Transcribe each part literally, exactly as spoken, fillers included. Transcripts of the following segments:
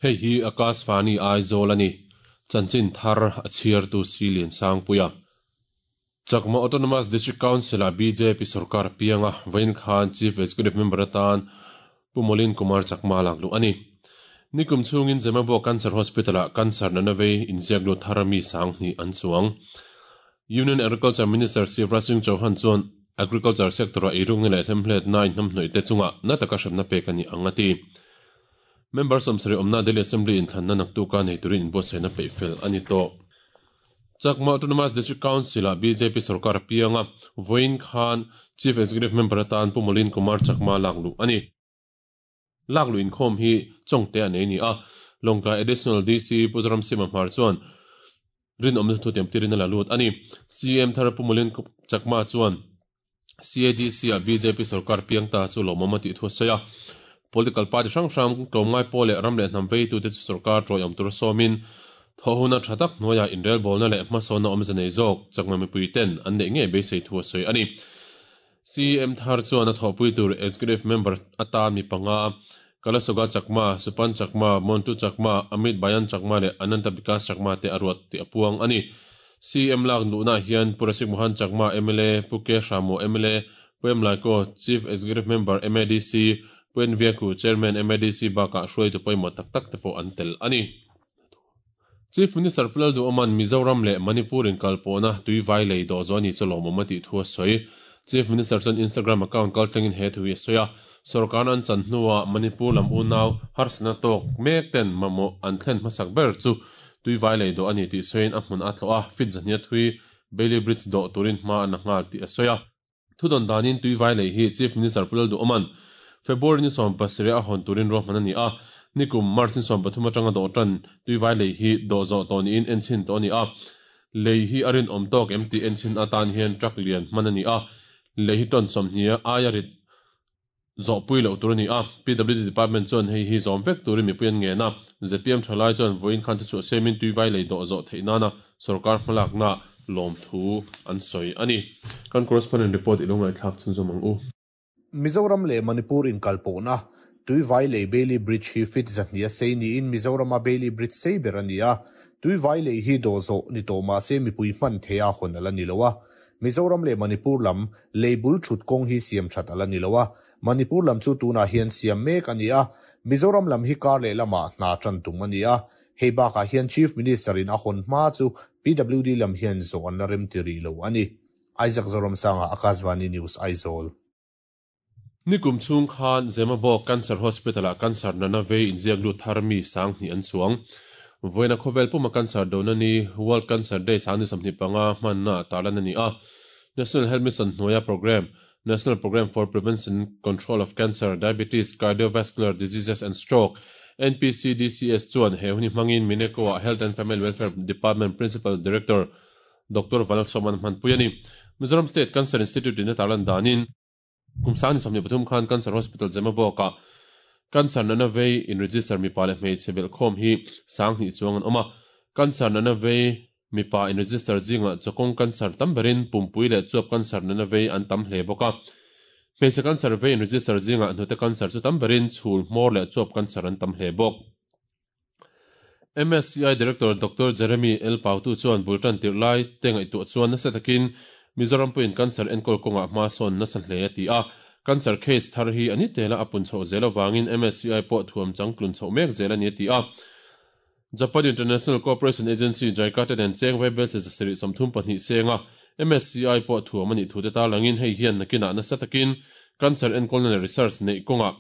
Hei hi Akashvani Aizawl a ni. Chanchin thar a chhiartu Silian Sangpuia. Chakma Autonomous District Council a BJP sarkar pianga vain khan Chief Executive Member atan Pumolin Kumar Chakma laklu ani. Nikum chungin Zemabo Cancer Hospital a cancer na navei inziaklu tharami sangni an chuang. Union Agriculture Minister Shivraj Singh Chauhan chuan Agriculture sector a irung le hlemhlet na in hnamhnoi te chunga na taka hremna pek ani angati. Members om sri omna Delhi Assembly in thlanna naktu ka nei turin inbuatsaihna peih fel ani tawh. Chakma Autonomous District Council a BJP sarkar pianga Vawiin khan Chief Executive Member atan Pumolin Kumar Chakma laklu ani. Laklu inkhawm hi chawngte a nei ni a. Lawngtlai Additional DC Puzaram Sima Hmar chuan rinawmna thu tiam tirin a la lut ani. CM thar Pumolin Chakma chuan CADC a BJP sarkar piang ta chu lawmawm a tih thu a sawi a. Political party hrang hrang tlawmngai pawh leh ram leh hnam vei tute chu sarkar tawiawm tur sawmin thawhhuna tha tak hnuaia inrel bawlna leh hmasawnna awmze nei zawk chakma mipui ten an neih ngei beisei thu a sawi ani. CM thar chuan a thawhpui tur executive member atan mi panga Kalasoga Chakma, Supan Chakma, Montu Chakma, Amit Bayan Chakma leh Ananta Bikas Chakma te a ruat tih a puang ani. CM lak luhna hian Purasik Mohan Chakma MLA, Puke Hramo MLA, Puem Laiko Chief Executive Member MADC, Puen Viaku Chairman MADC bakah hruaitu pawimawh tak tak te pawh an tel ani. Chief Minister Pu Lalduhoman Mizoram leh Manipur in kalpawhna tui vai lei dawh zawh ani chu lawmawm a tih thu a sawi. Chief Minister chuan Instagram account kal thlengin he thu hi a sawi a. Sorkar an chan hnuah Manipur lam unau harsatna tawk mek ten mamawh an thlen hmasak ber chu tui vai lei dawh ani tih sawiin a hmun a tlawh a, fit zahnia thui Bailey Bridge dawh turin hma an la nghal tih a sawi a. Thudawn danin tui vai lei hi Chief Minister Pu Lalduhoman February ni sawm pasarih a hawn turin ruahman a ni a. Nikum March ni sawm pathum atanga dawh tan tui vai lei hi dawh zawh tawh niin enchhin tawh a ni a. Lei hi a rinawm tawk em tih enchhin atan hian truck lian hman a ni a. Lei hi tawn sawmhnih aia rit zawhpui loh tur a ni a. PWD Department chuan hei hi zawm vek turin mipui an ngen a. ZPM thalai chuan vawiin khan thuchhuah siamin tui vai lei dawh zawh theih nana sorkar hmalakna lawm thu an sawi a ni. Kan correspondent report i lo ngaihthlak chhunzawm ang u. Mizoram leh Manipur inkalpawhna tui vai lei Bailey Bridge hi fit zahnih a sei niin Mizorama Bailey Bridge sei ber a ni a. Tui vai lei hi dawh zawh ni tawh mahse mipui hman thei a hawn ala ni lo a. Mizoram leh Manipur lam lei bul thut kawng hi siam that ala ni lo a. Manipur lam chu tunah hian siam mek a ni a. Mizoram lam hi kar leh lamah hna tan tum a ni a. Hei bakah hian Chief Minister in a hawn hma chu PWD lam hian zawh an la rem ti rih lo a ni. Isaac Zoramsanga Akashvani News Aizawl. Nikum chung khan Zemabawk Cancer Hospital a cancer nana vei inziak lut thar mi sanghnih an chuang. Vawiina khawvel puma cancer dona ni World Cancer Day sangni sawmhnih panga hmanna tarlan a ni a. National Health Mission hnuaia program National Program for Prevention Control of Cancer, Diabetes, Cardiovascular Diseases and Stroke NPCDCS chuan he huni hmangin Mineco a Health and Family Welfare Department Principal Director Dr. Vanlalsawman hmanpui a ni. Mizoram State Cancer Institute in a tarlan danin kum sangni sawmhnih pathum khan Cancer Hospital Zemabawk a cancer nana vei in register mipa leh hmeichhe belhkhawm hi sanghnih chuang an awm a. Cancer nana vei mipa in register zinga chawkawng cancer tam berin pumpui leh chuap cancer nana vei an tam hle bawk a. Hmeichhe cancer vei in register zinga hnute cancer chu tam berin chhul hmawr leh chuap cancer an tam hle bawk. MSCI Director Dr. Jeremy L. Pautu chuan bultan tirh lai te ngaihtuah chuan nasa takin Mizoram puiin cancer enkawl kawngah hma sawn nasa hle a ti a. Cancer case thar hi ani tela a pun chhoh zel awangin MSCI pawh thuam changtlun chhoh mek zel ani a ti a. Japan International Cooperation Agency JICA te nen cheng vai bel che zasarih sawmthum pahnih senga MSCI pawh thuam ani thu te tarlangin hei hian nakinah nasa takin cancer enkawlna leh research neih kawngah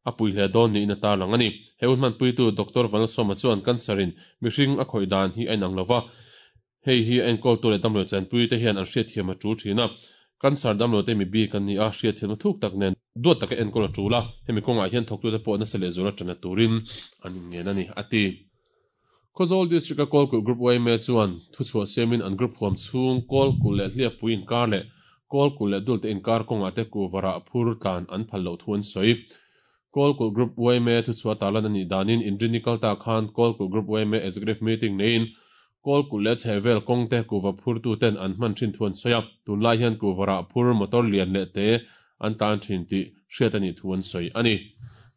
a pui hle dawn niin a tarlang ani. He hun hmanpuitu Dr. Vanlalsawma chuan cancer in mihring a khawih dan hi a inang lova. Hei hi a enkawl tu leh damlo chanpui te hian an hriat thiam a tul thin a. Cancer damlo te mi bik an ni a hriat thiamna thuk tak nen duat taka enkawl a tul a. Hemi kawngah hian thawktu te pawh nasa leh zual a tana turin an inngen a ni a ti. Khawzawl District a Kawlkulh Group YMA chuan thuchhuah siamin an group huam chhung Kawlkulh leh Hliappui inkar leh Kawlkulh leh Dulte inkar kawngah te kuvarah phur tlan an phal loh thu an sawi. Kawlkulh Group YMA thuchhuah tarlan anih danin Inrini kalta khan Kawlkulh Group YMA Executive Meeting neiin Kawlkulh leh chhehvel kawng te kuva phurtu ten an hman thin thu an sawi a. Tunlai hian kuvarah phur motor lian leh te an tan thin tih hriat anih thu an sawi a ni.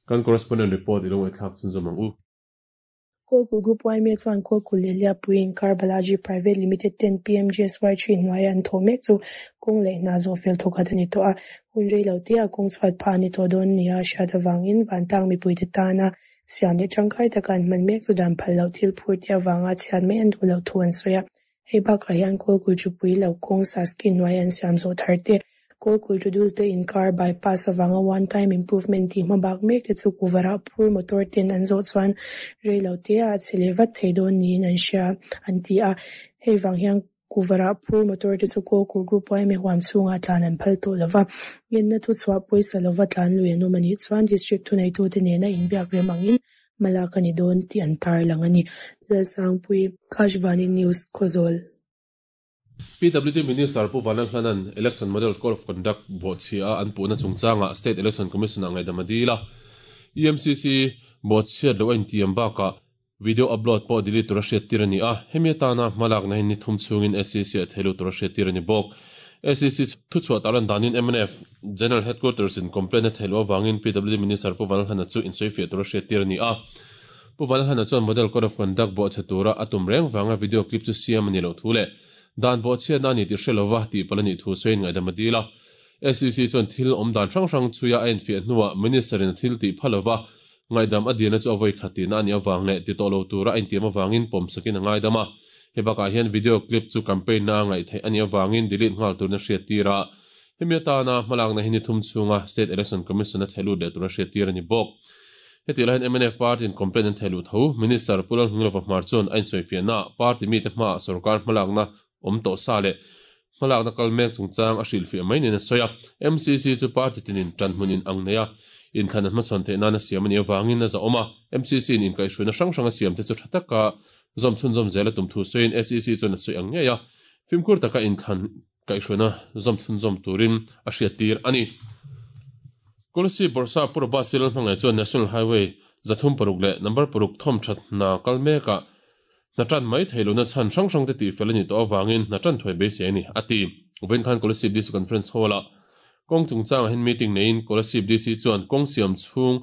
Kan correspondent report i lo ngaihthlak chhunzawm ang u. Kawlkulh Group Y M A chuan Kawlkulh leh Hliappui inkar Balaji Private Limited ten P M G S Y three hnuaia an thawh mek chu kawng leh hna zawh fel thawkhat a ni tawh a, hun rei lo te ah kawng chhuat phah a ni tawh dawn nia a hriat avangin vantlang mipuite tana siam leh tangkai taka an hman mek chu dan phal loh thil phur te avanga chhiat mai an duh loh thu an sawi a. Hei bakah hian Kawlkulh Chupui lo kawng SASCI hnuaia an siam zawh thar te, Kawlkulh Tudul te inkar bypass avanga one time improvement tih hmabak mek te chu kuvarah phur motor ten an zawh chuan rei lo te ah a chhe leh vat thei dawn niin an hria an ti a. Hei vang hian kuvarah phur motor te chu Kawlkulh Group Y M A huam chhungah tlan an phal tawh lova, ngenna thu chhuah pawisa lova tlan lui an awm anih chuan district thuneitute nena inbiak rem angin hmalak a ni dawn tih an tarlang a ni. Lalsangpui, Akashvani News, Khawzawl. P W D Minister Pu Vanlalhlanan Election Model Code of Conduct bawhchhia an puhna chungchanga State Election Commission a ngaidam a dil a. E M C C bawhchhiat lo a intiam bakah video upload pawh delete tura hriat tir a ni a. Hemi atana hmalakna hi ni thum chhungin S E C a theilu tura hriat tir a ni bawk. S E C thuchhuah tarlan danin M N F General Headquarters in complaint a theilu awangin P W D Minister Pu Vanlalhlana chu insawifiah tura hriat tir a ni a. Pu Vanlalhlana chuan Model Code of Conduct bawhchhe tura a tum reng wanga video clip chu siam a ni lo thu leh dan bawhchhiat na ni ti hrelova tih pal ani thu sawiin ngaidam a dil a. S E C chuan thil awm dan hrang hrang chuia a infiah hnuah minister in a thil tih phalova ngaidam a dilna chu a vawi khatina ani awang leh ti tawh lo tura a intiam awangin pawm sakin a ngaidam a. He bakah hian video clip chu campaign na ngaih theih ani awangin delete nghal turna hriat tir a. Hemi atana hmalakna hi ni thum chhunga State Election Commission a theilut leh tura hriat tir ani bawk. Heti lahin M N F party in complaint an theilu tho. Minister Pu Lalnghinglova Hmar chuan a insawifiahna party mi te hma sarkar hmalakna awm tawh sa leh hmalakna kal mek chungchang a hrilhfiah mai niin a sawi a. M C C chu party tinin tan hmunin ang nei a inthlan an hmachhawn theih nana siam ani awangin a za awm a. M C C in inkaihhruaina hrang hrang a siam te chu tha taka zawm chhun zawm zel a tum thu sawiin S E C chuan a sawi ang ngei a fimkhur taka inthlan kaihhruaina zawm chhun zawm turin a hriat tir ani. Kolasib Bawrhsap Pu Robert C Lalhmangaih chuan National Highway zathum paruk leh number paruk thawm that hna kal mekah hna tan mai thei lo na chhan hrang hrang te tih fel ani tawh awangin hna tan thuai beisei ani a ti. Vawiin khan Kolasib D C Conference Hall ah kawng chungchangah hian meeting neiin Kolasib D C chuan kawng siam chhung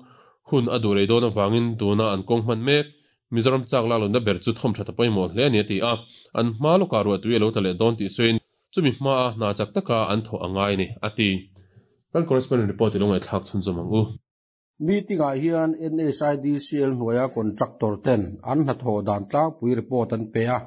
hun a duh rei dawn awangin tuna an kawng hman mek Mizoram chak lak lona ber chu thawm that a pawimawh hle ani a ti a. An hma lawkah ruah tui a lo tla leh dawn tih sawiin chumi hma a hna chak taka an thawh a ngai ni a ti. Kan correspondent report i lo ngaihthlak chhunzawm ang u. Meeting ah hian N H I D C L hnuaia contractor ten an hnathawh dan tlangpui report an pe a.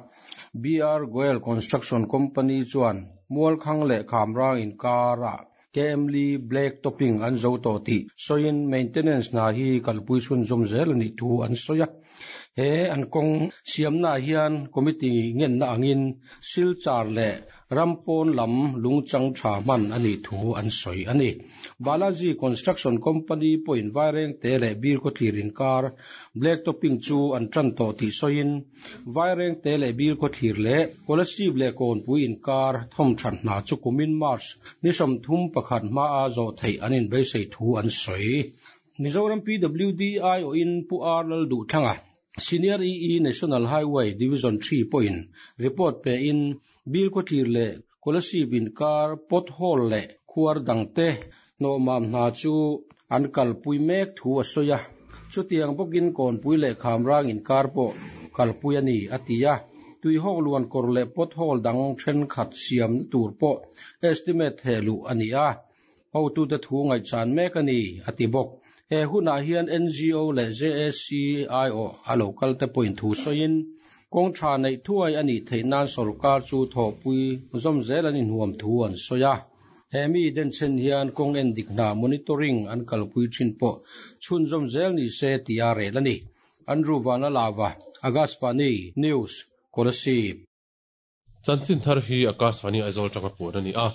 B R Goel Construction Company chuan Mualkhang leh Khamrang inkara K M li black topping an zo tawh tih sawiin maintenance hna hi kalpui chhunzawm zel ani thu an sawi a. He an kawng siamna hian committee ngenna angin Silchar leh Rampawn lam lungchang tha hman ani thu an sawi ani. Balaji Construction Company pawhin Vairengte leh Bilkhawthlir inkar black topping chu an tan tawh tih sawiin Vairengte leh Bilkhawthlir leh Kolasib leh Kawnpui inkar thawm that hna chu kumin March ni sawmthum pakhat hma a zawh theih an inbeisei thu an sawi. Mizoram P W D I O in Pu R Lalduhthanga, Senior E E National Highway Division three pawhin report pe in Bilkhawthlir leh Kolasib inkar pothole leh khuar dangte hnawhmam hna chu an kalpui mek thu a sawi a. Chutiang bawkin Kawnpui leh Khamrang inkar pawh kalpui ani a ti a. Tuihawk luan kawr leh pothole dang thenkhat siam tur pawh estimate hehluh ani a, hotute thu ngaihchan mek ani a ti bawk. He hunah hian N G O leh J A C I O a local te pawhin thu sawiin kawng tha neih thuai ani theih nan sarkar chu thawhpui zawm zel an inhuam thu an sawi a. He mi denchen hian kawng en dik hna monitoring an kalpui thin pawh chhunzawm zel ni se ti a rel ani. Andrew Vanlalava, Akashvani News, Kolasib. Chanchin thar hi Akashvani Aizawl tanga puan ani a.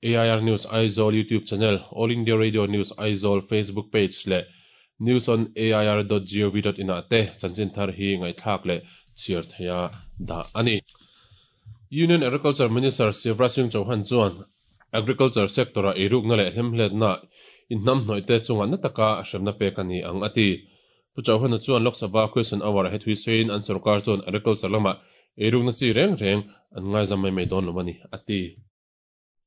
A I R News Aizawl YouTube channel, All India Radio News Aizawl Facebook page leh news on A I R dot gov dot in ah te chanchin thar hi ngaihthlak leh chhiar theia dah ani. Union Agriculture Minister Shivraj Singh Chauhan chuan agriculture sector a eirukna leh hlemhletna inhnam hnawih te chunga na taka hremna pek ani ang a ti. Pu Chauhan chuan Lok Sabha question hour he thui sawiin an sarkar chuan agriculture lamah eirukna chi reng reng an ngaizam mai mai dawn lo ani a ti.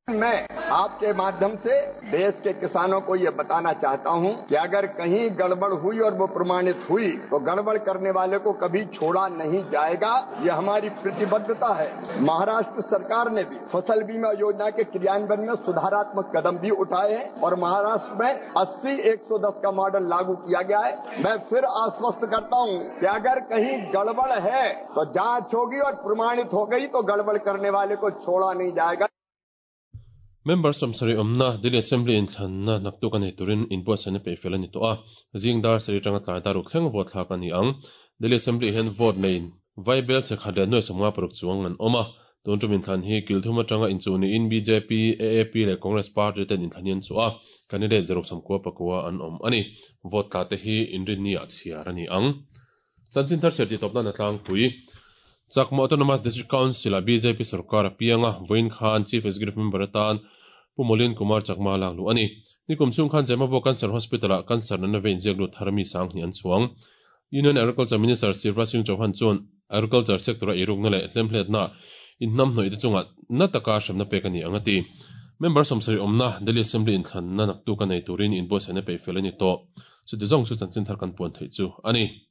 मैं आपके माध्यम से देश के किसानों को ये बताना चाहता हूं कि अगर कहीं गड़बड़ हुई और वो प्रमाणित हुई तो गड़बड़ करने वाले को कभी छोड़ा नहीं जाएगा। ये हमारी प्रतिबद्धता है। महाराष्ट्र सरकार ने भी फसल बीमा योजना के क्रियान्वयन में सुधारात्मक कदम भी उठाए हैं और महाराष्ट्र में अस्सी एक सौ दस का मॉडल लागू किया गया है। मैं फिर आश्वस्त करता हूं कि अगर कहीं गड़बड़ है तो जांच होगी और प्रमाणित हो गई तो गड़बड़ करने वाले को छोड़ा नहीं जाएगा। Member sawmsarih awmna Delhi Assembly inthlanna naktuk a nei turin inbuatsaihna peih fel a ni tawh a. Zing dar sarih atanga tlai dar ruk thleng vote thlak a ni ang. Delhi Assembly hian vote neiin vai bel che khat leh nuai sawmnga paruk chuang an awm a. Tun tum inthlan hi kil thum atanga inchuh niin B J P, A A P leh Congress party ten inthlan hi an chuh a. Candidate zaruk sawmkua pakua an awm a ni. Vote tla te hi inrinni ah chhiar a ni ang. Chanchin thar serti tawpna na tlangpui. Chakma Autonomous District Council a B J P sarkar a pianga vawiin khan Chief Executive Member atan Pu Molin Kumar Chakma lak luh a ni. Nikum chhung khan Zemabawk Cancer Hospital ah cancer nana vein ziak lut thar mi sang hnih an chuang. Union Agriculture Minister Shivraj Singh Chauhan chuan Agriculture sector a eirukna leh hlemhletna inhnam hnawih te chungah na taka hremna pek a ni ang a ti. Member sawmsarih awmna Delhi Assembly inthlanna naktuk a nei turin inbuatsaihna peih fel a ni tawh. Chuti zawng chu chanchin thar kan puan theih chu a ni.